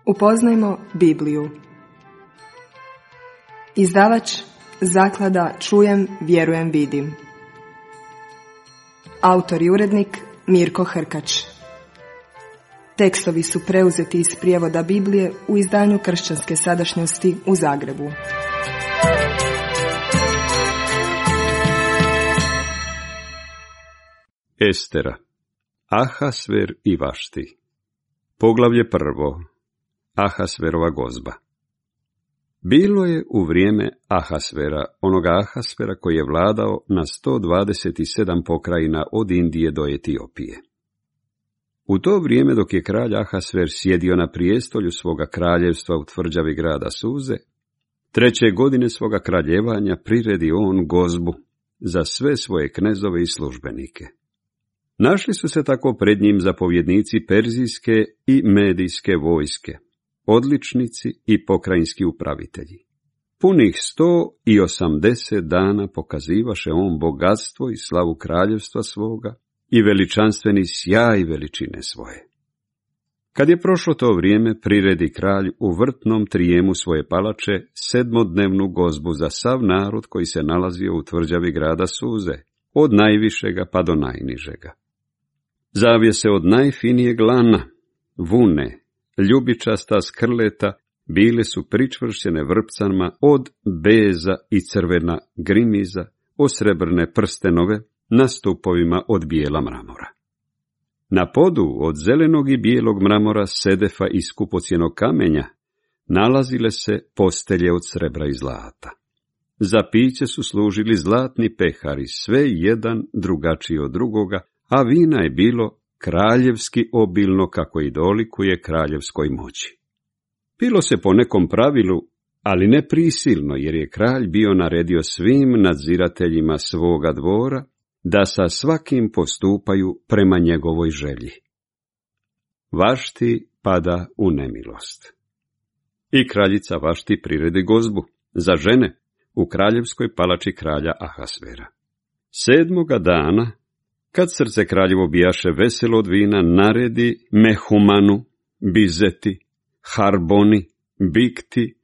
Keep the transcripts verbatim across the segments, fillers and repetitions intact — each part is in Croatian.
Upoznajmo Bibliju. Izdavač Zaklada Čujem, vjerujem, vidim. Autor i urednik Mirko Hrkač. Tekstovi su preuzeti iz prijevoda Biblije u izdanju Kršćanske sadašnjosti u Zagrebu. Estera, Ahasver i Vašti. Poglavlje prvo. Ahasverova gozba. Bilo je u vrijeme Ahasvera, onoga Ahasvera koji je vladao na sto dvadeset sedam pokrajina od Indije do Etiopije. U to vrijeme dok je kralj Ahasver sjedio na prijestolju svoga kraljevstva u tvrđavi grada Suze, treće godine svoga kraljevanja priredi on gozbu za sve svoje knezove i službenike. Našli su se tako pred njim zapovjednici perzijske i medijske vojske, odličnici i pokrajinski upravitelji. Punih sto i osamdeset dana pokazivaše on bogatstvo i slavu kraljevstva svoga i veličanstveni sjaj veličine svoje. Kad je prošlo to vrijeme, priredi kralj u vrtnom trijemu svoje palače sedmodnevnu gozbu za sav narod koji se nalazio u tvrđavi grada Suze, od najvišega pa do najnižega. Zavjese od najfinijeg lana, vune, ljubičasta skrleta, bile su pričvršćene vrpcama od beza i crvena grimiza, osrebrne prstenove na stupovima od bijela mramora. Na podu od zelenog i bijelog mramora, sedefa i skupocjenog kamenja nalazile se postelje od srebra i zlata. Za piće su služili zlatni pehari, sve jedan drugačiji od drugoga, a vina je bilo kraljevski obilno kako i dolikuje kraljevskoj moći. Pilo se po nekom pravilu, ali ne prisilno, jer je kralj bio naredio svim nadzirateljima svoga dvora da sa svakim postupaju prema njegovoj želji. Vašti pada u nemilost. I kraljica Vašti priredi gozbu za žene u kraljevskoj palači kralja Ahasvera. Sedmoga dana, kad srce kraljevo bijaše veselo od vina, naredi Mehumanu, Bizeti, Harboni, Bikti,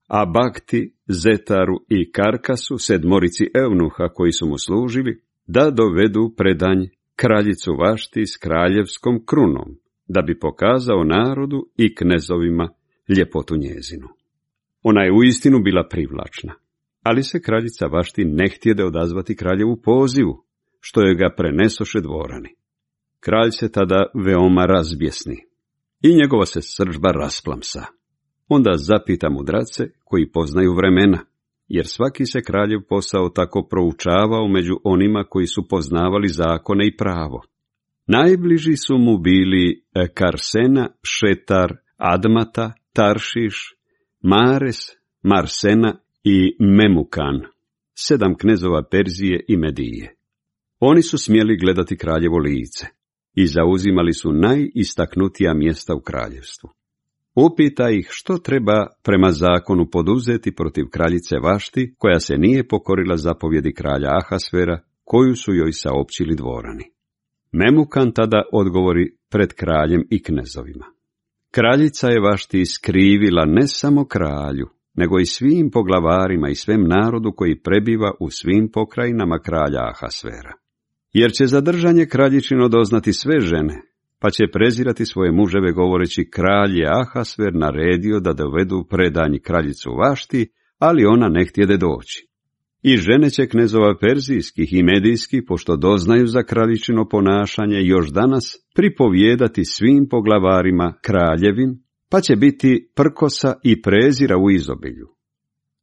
Abakti, Zetaru i Karkasu, sedmorici evnuha koji su mu služili, da dovedu predanj kraljicu Vašti s kraljevskom krunom, da bi pokazao narodu i knezovima ljepotu njezinu. Ona je uistinu bila privlačna, ali se kraljica Vašti ne htjede odazvati kraljevu pozivu, što je ga prenesoše dvorani. Kralj se tada veoma razbjesni i njegova se srdžba rasplamsa. Onda zapita mudrace koji poznaju vremena, jer svaki se kraljev posao tako proučavao među onima koji su poznavali zakone i pravo. Najbliži su mu bili Karsena, Šetar, Admata, Taršiš, Mares, Marsena i Memukan, sedam knezova Perzije i Medije. Oni su smjeli gledati kraljevo lice i zauzimali su najistaknutija mjesta u kraljevstvu. Upita ih što treba prema zakonu poduzeti protiv kraljice Vašti, koja se nije pokorila zapovjedi kralja Ahasvera, koju su joj saopćili dvorani. Memukan tada odgovori pred kraljem i knezovima. Kraljica je Vašti skrivila ne samo kralju, nego i svim poglavarima i svem narodu koji prebiva u svim pokrajinama kralja Ahasvera. Jer će zadržanje kraljičino doznati sve žene, pa će prezirati svoje muževe govoreći: kralj je Ahasver naredio da dovedu predanj kraljicu Vašti, ali ona ne htjede doći. I žene će knezova perzijskih i medijskih, pošto doznaju za kraljičino ponašanje, još danas pripovijedati svim poglavarima kraljevim, pa će biti prkosa i prezira u izobilju.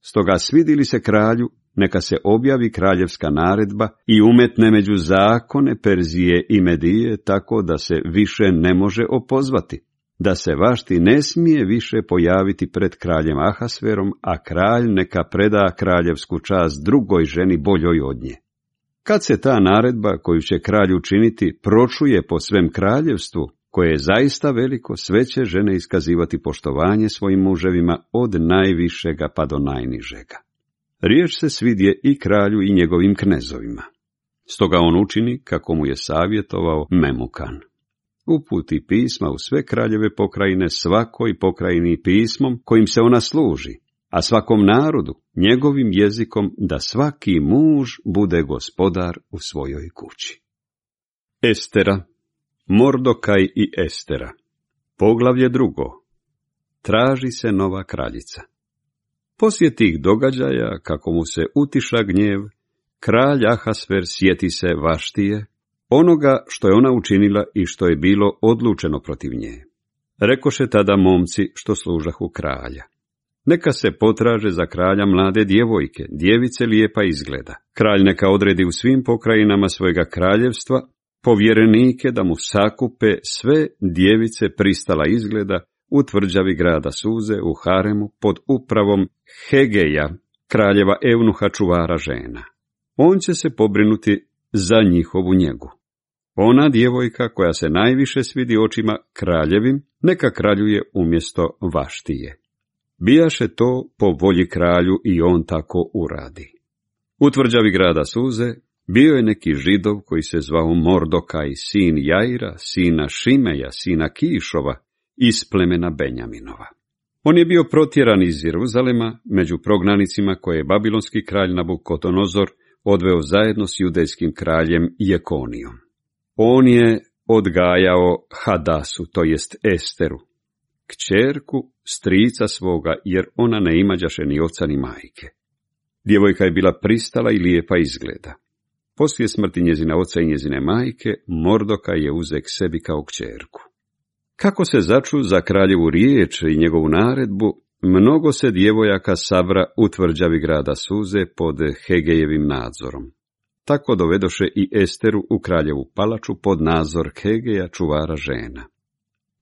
Stoga svidili se kralju, neka se objavi kraljevska naredba i umetne među zakone Perzije i Medije, tako da se više ne može opozvati, da se Vašti ne smije više pojaviti pred kraljem Ahasverom, a kralj neka preda kraljevsku čast drugoj ženi boljoj od nje. Kad se ta naredba koju će kralj učiniti pročuje po svem kraljevstvu, koje je zaista veliko, sve će žene iskazivati poštovanje svojim muževima od najvišega pa do najnižega. Riječ se svidje i kralju i njegovim knezovima. Stoga on učini kako mu je savjetovao Memukan. uputi pisma u sve kraljeve pokrajine, svakoj pokrajini pismom kojim se ona služi, a svakom narodu njegovim jezikom, da svaki muž bude gospodar u svojoj kući. Estera, Mordokaj i Estera. Poglavlje drugo. Traži se nova kraljica. Poslije tih događaja, kako mu se utiša gnjev, kralj Ahasver sjeti se Vaštije, onoga što je ona učinila i što je bilo odlučeno protiv nje. Rekoše tada momci što služahu kralja: neka se potraže za kralja mlade djevojke, djevice lijepa izgleda. Kralj neka odredi u svim pokrajinama svojega kraljevstva povjerenike da mu sakupe sve djevice pristala izgleda u tvrđavi grada Suze u haremu pod upravom Hegeja, kraljeva Eunuha čuvara žena. On će se pobrinuti za njihovu njegu. Ona djevojka koja se najviše svidi očima kraljevim, neka kraljuje umjesto Vaštije. Bijaše to po volji kralju i on tako uradi. U tvrđavi grada Suze bio je neki Židov koji se zvao Mordokaj, sin Jaira, sina Šimeja, sina Kišova, iz plemena Benjaminova. On je bio protjeran iz Jeruzalema među prognanicima koje je babilonski kralj Nabukodonozor odveo zajedno s judejskim kraljem Jekonijom. On je odgajao Hadasu, to jest Esteru, kćerku strica svoga, jer ona ne imađaše ni oca ni majke. Djevojka je bila pristala i lijepa izgleda. Poslije smrti njezina oca i njezine majke, Mordokaj je uze k sebi kao kćerku. Kako se začu za kraljevu riječ i njegovu naredbu, mnogo se djevojaka sabra u tvrđavi grada Suze pod Hegejevim nadzorom. Tako dovedoše i Esteru u kraljevu palaču pod nadzor Hegeja, čuvara žena.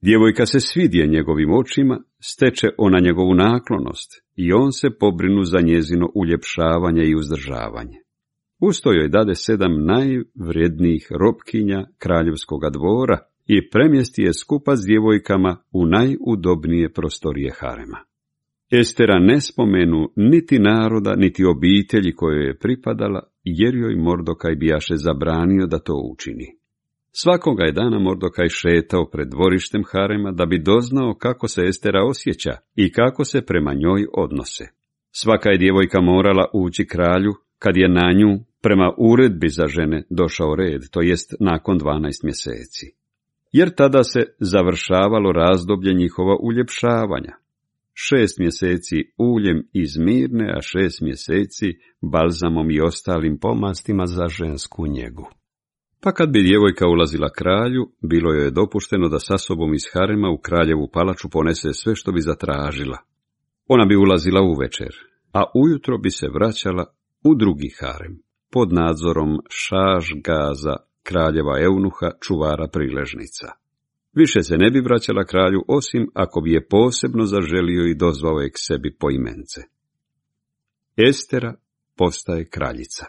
Djevojka se svidje njegovim očima, steče ona njegovu naklonost i on se pobrinu za njezino uljepšavanje i uzdržavanje. Usto joj dade sedam najvrijednijih robkinja kraljevskoga dvora i premjesti je skupa s djevojkama u najudobnije prostorije harema. Estera ne spomenu niti naroda, niti obitelji kojoj je pripadala, jer joj Mordokaj bijaše zabranio da to učini. Svakoga je dana Mordokaj šetao pred dvorištem harema da bi doznao kako se Estera osjeća i kako se prema njoj odnose. Svaka je djevojka morala ući kralju kad je na nju prema uredbi za žene došao red, to jest nakon dvanaest mjeseci. Jer tada se završavalo razdoblje njihova uljepšavanja. Šest mjeseci uljem iz mirne, a šest mjeseci balzamom i ostalim pomastima za žensku njegu. Pa kad bi djevojka ulazila kralju, bilo joj je dopušteno da sa sobom iz harema u kraljevu palaču ponese sve što bi zatražila. Ona bi ulazila uvečer, a ujutro bi se vraćala u drugi harem, pod nadzorom Šašgaza, kraljeva Eunuha, čuvara priležnica. Više se ne bi vraćala kralju, osim ako bi je posebno zaželio i dozvao je k sebi poimence. Estera postaje kraljica.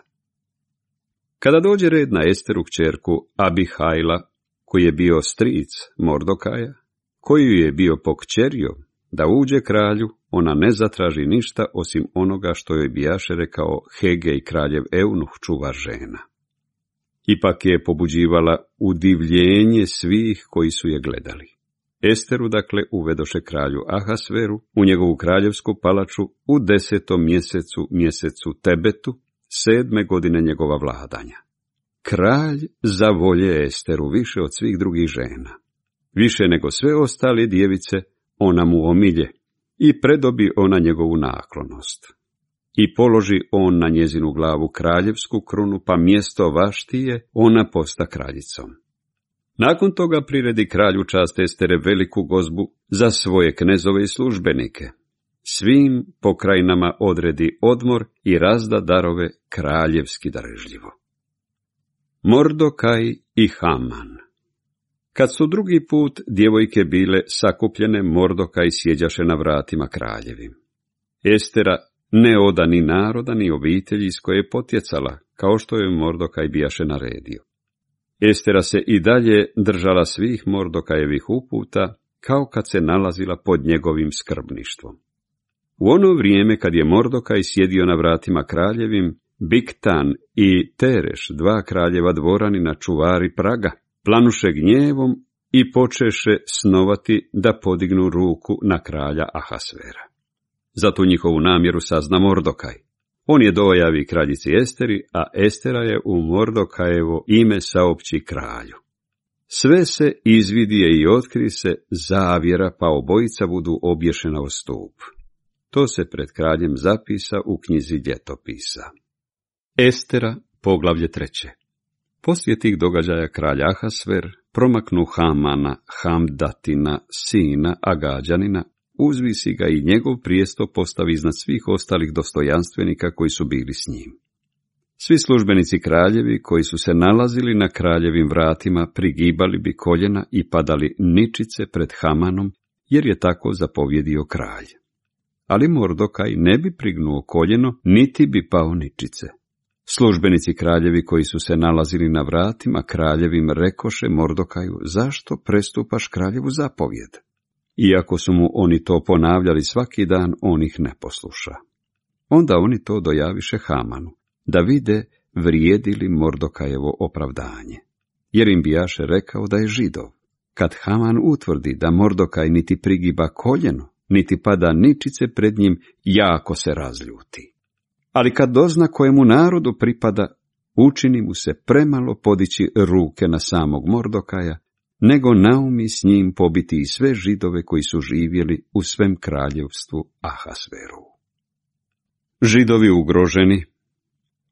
Kada dođe red na Esteru kćerku Abihajla, koji je bio stric Mordokaja, koji je bio pokćerio, da uđe kralju, ona ne zatraži ništa osim onoga što joj bijaše rekao Hegej, kraljev Eunuh, čuvar žena. Ipak je pobuđivala udivljenje svih koji su je gledali. Esteru, dakle, uvedoše kralju Ahasveru u njegovu kraljevsku palaču u desetom mjesecu, mjesecu Tebetu, sedme godine njegova vladanja. Kralj zavolje Esteru više od svih drugih žena. Više nego sve ostale djevice, ona mu omilje i predobi ona njegovu naklonost. I položi on na njezinu glavu kraljevsku krunu, pa mjesto Vaštije ona posta kraljicom. Nakon toga priredi kralju čast Estere veliku gozbu za svoje knezove i službenike. Svim pokrajinama odredi odmor i razda darove kraljevski darežljivo. Mordokaj i Haman. Kad su drugi put djevojke bile sakupljene, Mordokaj sjeđaše na vratima kraljevim. Estera ne oda ni naroda, ni obitelji iz koje je potjecala, kao što je Mordokaj bijaše naredio. Estera se i dalje držala svih Mordokajevih uputa, kao kad se nalazila pod njegovim skrbništvom. U ono vrijeme kad je Mordokaj sjedio na vratima kraljevim, Bigtan i Tereš, dva kraljeva dvoranina, čuvari praga, planuše gnjevom i počeše snovati da podignu ruku na kralja Ahasvera. Za tu njihovu namjeru sazna Mordokaj. On je dojavi kraljici Esteri, a Estera je u Mordokajevo ime saopći kralju. Sve se izvidije i otkri se zavjera, pa obojica budu obješena o stup. To se pred kraljem zapisa u knjizi ljetopisa. Estera, poglavlje treće. Poslije tih događaja kralj Ahasver promaknu Hamana, Hamdatina, sina Agađanina, uzvisi ga i njegov prijesto postavi iznad svih ostalih dostojanstvenika koji su bili s njim. Svi službenici kraljevi koji su se nalazili na kraljevim vratima prigibali bi koljena i padali ničice pred Hamanom, jer je tako zapovjedio kralj. Ali Mordokaj ne bi prignuo koljeno, niti bi pao ničice. Službenici kraljevi koji su se nalazili na vratima kraljevim rekoše Mordokaju, zašto prestupaš kraljevu zapovjed? Iako su mu oni to ponavljali svaki dan, on ih ne posluša. Onda oni to dojaviše Hamanu, da vide vrijedi li Mordokajevo opravdanje. Jer im bijaše rekao da je Židov. Kad Haman utvrdi da Mordokaj niti prigiba koljeno, niti pada ničice pred njim, jako se razljuti. Ali kad dozna kojemu narodu pripada, učini mu se premalo podići ruke na samog Mordokaja, nego naumi s njim pobiti i sve Židove koji su živjeli u svem kraljevstvu Ahasveru. Židovi ugroženi.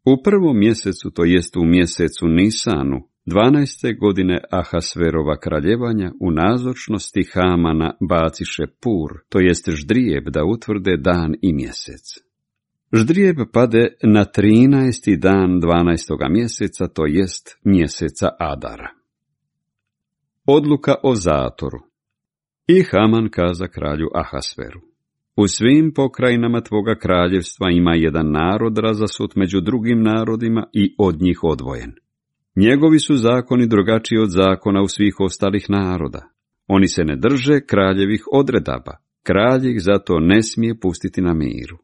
U prvom mjesecu, to jest u mjesecu Nisanu, dvanaeste godine Ahasverova kraljevanja, u nazočnosti Hamana baciše pur, to jest ždrijeb, da utvrde dan i mjesec. Ždrijeb pade na trinaesti dan dvanaestoga mjeseca, to jest mjeseca Adara. Odluka o zatoru. I Haman kaza kralju Ahasveru: u svim pokrajinama tvoga kraljevstva ima jedan narod razasut među drugim narodima i od njih odvojen. Njegovi su zakoni drugačiji od zakona u svih ostalih naroda. Oni se ne drže kraljevih odredaba. Kralj ih zato ne smije pustiti na miru.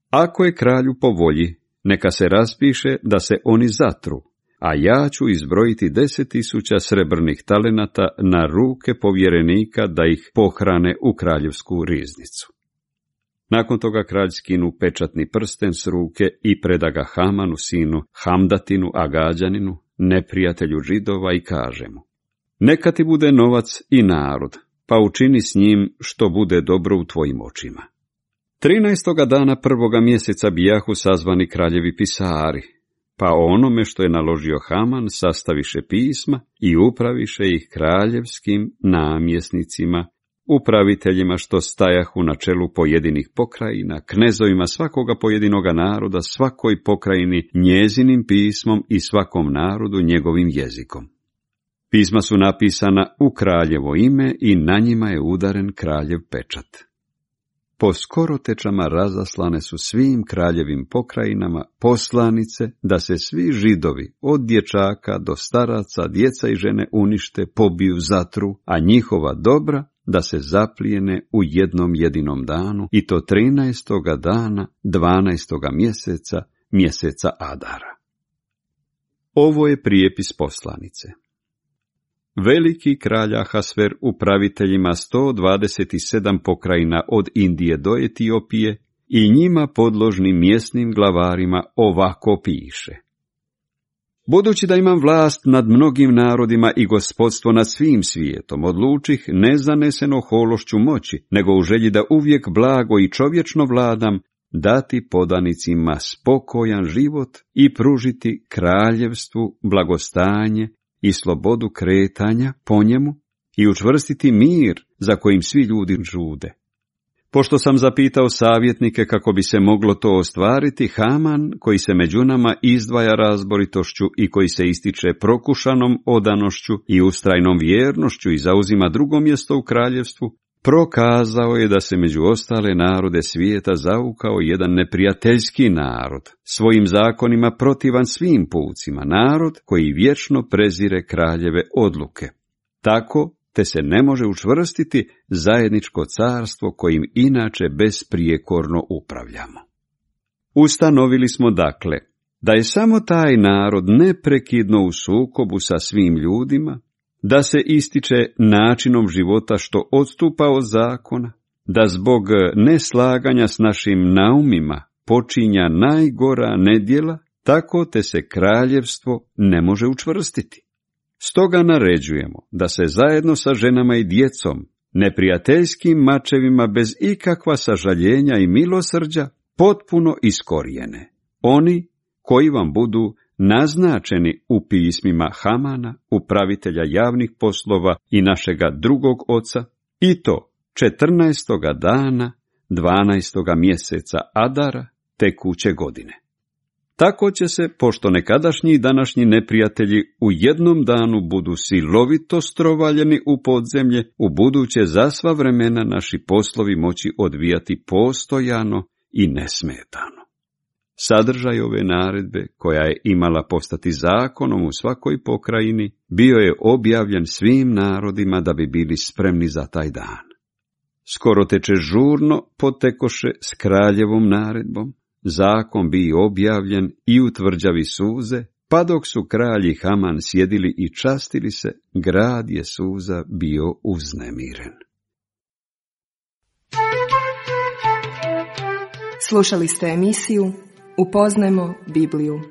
Ako je kralju po volji, neka se raspiše da se oni zatru, a ja ću izbrojiti deset tisuća srebrnih talenata na ruke povjerenika da ih pohrane u kraljevsku riznicu. Nakon toga kralj skinu pečatni prsten s ruke i preda ga Hamanu, sinu Hamdatinu, Agađaninu, neprijatelju Židova, i kaže mu: neka ti bude novac i narod, pa učini s njim što bude dobro u tvojim očima. Trinaestoga dana prvoga mjeseca bijahu sazvani kraljevi pisari, pa o onome što je naložio Haman sastaviše pisma i upraviše ih kraljevskim namjesnicima, upraviteljima što stajahu na čelu pojedinih pokrajina, knezovima svakoga pojedinoga naroda, svakoj pokrajini njezinim pismom i svakom narodu njegovim jezikom. Pisma su napisana u kraljevo ime i na njima je udaren kraljev pečat. Po skorotečama razaslane su svim kraljevim pokrajinama poslanice da se svi Židovi, od dječaka do staraca, djeca i žene unište, pobiju, zatru, a njihova dobra da se zaplijene u jednom jedinom danu, i to trinaestoga dana dvanaestoga mjeseca, mjeseca Adara. Ovo je prijepis poslanice. Veliki kralj Ahasver upraviteljima sto dvadeset sedam pokrajina od Indije do Etiopije i njima podložnim mjesnim glavarima ovako piše: budući da imam vlast nad mnogim narodima i gospodstvo nad svim svijetom, odlučih ne zaneseno hološću moći, nego u želji da uvijek blago i čovječno vladam, dati podanicima spokojan život i pružiti kraljevstvu blagostanje i slobodu kretanja po njemu i učvrstiti mir za kojim svi ljudi žude. Pošto sam zapitao savjetnike kako bi se moglo to ostvariti, Haman, koji se među nama izdvaja razboritošću i koji se ističe prokušanom odanošću i ustrajnom vjernošću i zauzima drugo mjesto u kraljevstvu, prokazao je da se među ostale narode svijeta zaukao jedan neprijateljski narod, svojim zakonima protivan svim pucima, narod koji vječno prezire kraljeve odluke. Tako te se ne može učvrstiti zajedničko carstvo kojim inače besprijekorno upravljamo. Ustanovili smo dakle da je samo taj narod neprekidno u sukobu sa svim ljudima da se ističe načinom života što odstupa od zakona, da zbog neslaganja s našim naumima počinja najgora nedjela, tako te se kraljevstvo ne može učvrstiti. Stoga naređujemo da se zajedno sa ženama i djecom, neprijateljskim mačevima bez ikakva sažaljenja i milosrđa, potpuno iskorijene. Oni koji vam budu naznačeni u pismima Hamana, upravitelja javnih poslova i našega drugog oca, i to četrnaestoga dana, dvanaestoga mjeseca Adara tekuće godine. Tako će se, pošto nekadašnji i današnji neprijatelji u jednom danu budu silovito strovaljeni u podzemlje, u buduće za sva vremena naši poslovi moći odvijati postojano i nesmetano. Sadržaj ove naredbe, koja je imala postati zakonom u svakoj pokrajini, bio je objavljen svim narodima da bi bili spremni za taj dan. Skoro teče žurno potekoše s kraljevom naredbom, zakon bi objavljen i u tvrđavi suze, pa dok su kralj i Haman sjedili i častili se, grad je suza bio uznemiren. Slušali ste emisiju Upoznajmo Bibliju.